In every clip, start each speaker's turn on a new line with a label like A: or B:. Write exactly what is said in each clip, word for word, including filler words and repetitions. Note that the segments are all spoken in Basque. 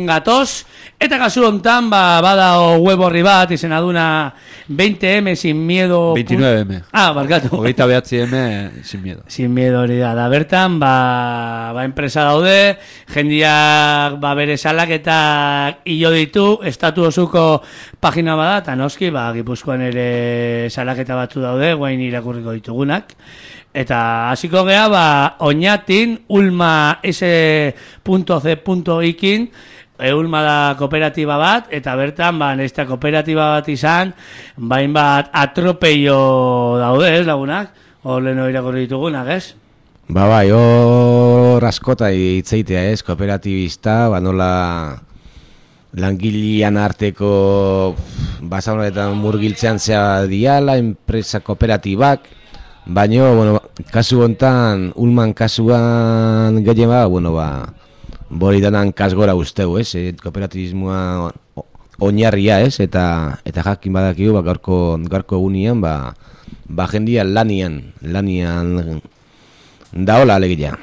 A: gatoz, eta kasu hontan ba, bada web horri bat izena duna veinte eme sin miedo
B: veintinueve eme
A: ah, barkatu
B: hogeita behatzi eme sin miedo
A: sin miedo hori da, da bertan ba, ba enpresa daude jendiak ba, bere salaketak hilo ditu, estatu osuko pagina bada, eta noski ba, Gipuzkoan ere salaketa batzu daude guain irakurriko ditugunak. Eta hasiko gea, ba, Oñatin, Ulma S C ikin, e, Ulma da kooperatiba bat, eta bertan, ba, nesta kooperatiba bat izan, bain bat atropello daude, ez, lagunak? Hor leheno irakurri ditugunak, ez?
C: Ba, bai, hor askota itzeitea, ez, kooperatibista, ba, nola langilean arteko basaunetan murgiltzean zea diala, enpresa kooperatibak, baina, bueno, kasu hontan, Ulman kasuan gehien ba, bueno, ba, boridanan kasgora usteu, ez, e, kooperatibismoa oinarria, ez, eta eta jakin badakigu, ba, gaurko, gaurko egunean, ba, ba, jendia lanian, lanian daola alegia.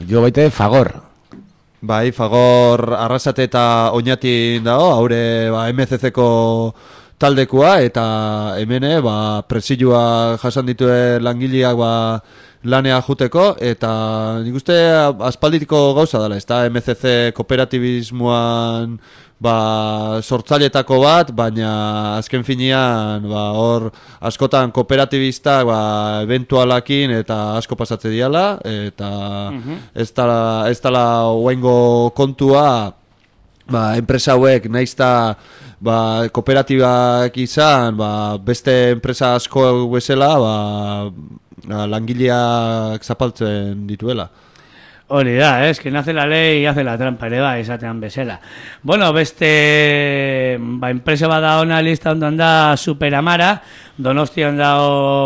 C: Jo baita Fagor.
B: Bai, Fagor Arrasate eta Oñatin dago, haure ba, eme ce ceko taldekua, eta hemene ba, presioa jasan ditue langileak ba, lanea juteko, eta nik uste aspalditiko gauza dela, ez da eme ce ce kooperatibismoan ba, sortzailetako bat, baina azken finean ba, hor askotan kooperatibistak ba, eventualakin eta asko pasatze diala, eta uh-huh. ez dala, ez dala oaingo kontua ba, enpresa hauek naizta ba, kooperatibak izan, ba, beste enpresa asko bezala ba, langileak zapaltzen dituela.
A: Hori da, es que nace la ley y hace la trampa, ere ba, esatean bezala. Bueno, beste ba, enpresa bada ona lista ondan da Superamara, Donostian da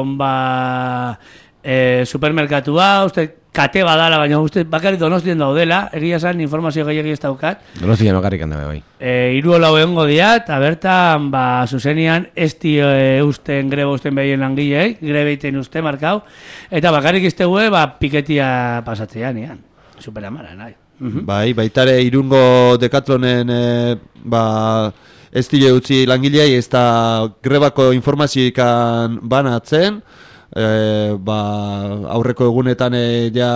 A: ba, e, supermerkatua, uste kate badala, baina uste bakarrik Donostian daudela, egia esan informazio gehiagi ez daukat.
C: Donostian bakarrik handabe bai.
A: E, Hiru holau egongo dira, eta bertan ba, zuzenian ez dio e, usten greba usten behien langilei, grebeiten uste markau, eta bakarrik iztegue ba, piketia pasatzean ean. Superamara, nahi. Uh-huh.
B: Bai, baitare Irungo Decathlonen e, ba, ez dile utzi langilei, ez da grebako informazioikan banatzen, e, ba, aurreko egunetan e, ja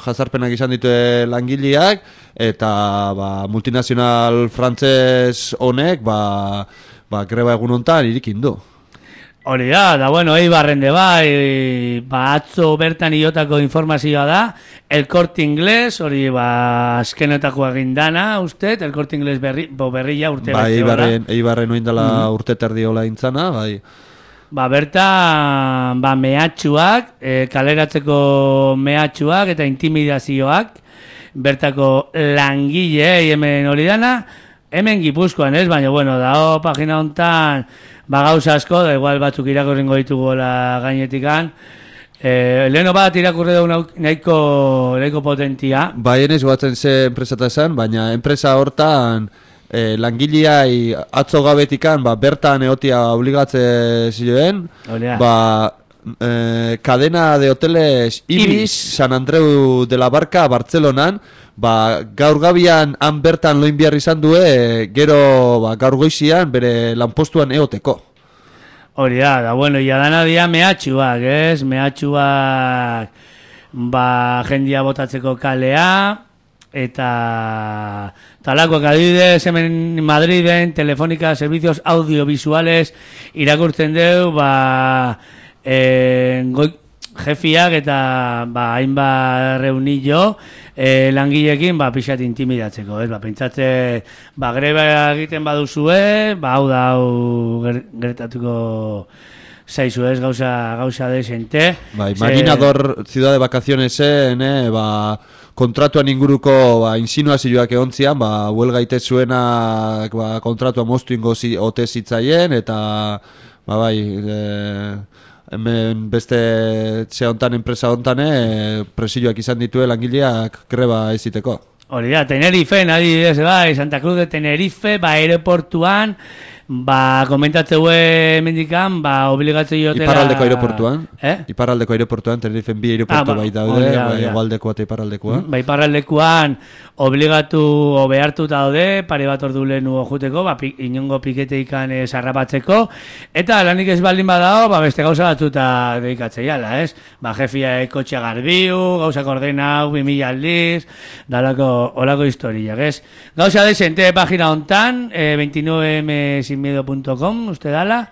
B: jazarpenak izan ditue langileak, eta ba, multinazional frantzes honek ba, ba, greba egun hontan irikin du.
A: Hori da, da bueno, Eibarren de bai, ba, atzo bertan iotako informazioa da, El Corte Inglés, hori ba, azkenetako agindana, uste, El Corte Inglés berri, bo berria urte
B: bai, Eibarren, Eibarren oindala mm. urte terdiola intzana, bai.
A: Ba, bertan, ba, mehatxuak, e, kaleratzeko mehatxuak eta intimidazioak, bertako langile hemen hori dana, hemen Gipuzkoan ez, baina, bueno, dao, pagina hontan, ba gauza asko, da igual batzuk irakurrengo ditugu la gainetikan. Eh, leheno bat irakurre dugu nahiko, nahiko potentia.
B: Bai, enez guatzen ze enpresata esan, baina enpresa hortan eh, langileai atzo gabetikan, ba, bertan eotia obligatze ziren, ba, eh, cadena de hoteles Ibis, Ibis, San Andreu de la Barca, Bartzelonan, ba, gaur gabian han bertan loin behar izan due, gero ba, gaur goizian bere lanpostuan eoteko.
A: Hori da, da bueno, ya dana dia mehatxuak, ez? Mehatxuak ba, jendia botatzeko kalea, eta talakoak adibidez hemen Madriden, Telefónica, servicios audiovisuales irakurtzen deu, ba, eh, goi, jefiak eta ba, hainbat reunillo e, langileekin ba, pixat intimidatzeko, ez? Ba, pentsatze, ba, greba egiten baduzue, ba, hau da, hau gertatuko zaizu ez, gauza, gauza desente.
B: Ba, imaginador Se... ciudad de vacacionesen, eh, ba, kontratuan inguruko ba, insinuazioak egontzian, ba, huelga ite zuenak ba, kontratua moztu ingo zi, ote zitzaien, eta ba, bai, eh, hemen beste txe hontan, enpresa hontan, e, presioak izan ditue langileak greba eziteko.
A: Hori da, Tenerife, adibidez, bai, Santa Cruz de Tenerife, ba, aeroportuan, ba, komentatzeu mendikan, ba, obligatzei jotela...
B: Iparraldeko aeroportuan.
A: Eh?
B: Iparraldeko aeroportuan, Tenerifen bi aeroportu
A: Ah, ba,
B: bai daude,
A: hori da,
B: bai,
A: hori da.
B: hegoaldekoa eta iparraldekoa.
A: Ba, iparraldekoan obligatu o behartuta daude, pare bat ordu lehenu joteko, ba, pi, inongo piketeikan eh, sarrapatzeko, eta lanik ez baldin badao, ba, beste gauza batzuta dedikatzeiala, ez? Ba, jefia kotxea garbiu, gauza ordenau, bi mila aldiz, dalako, olako historiak, ez? Gauza desente pagina hontan, eh, veintinueve m sin miedo punto com, uste dala,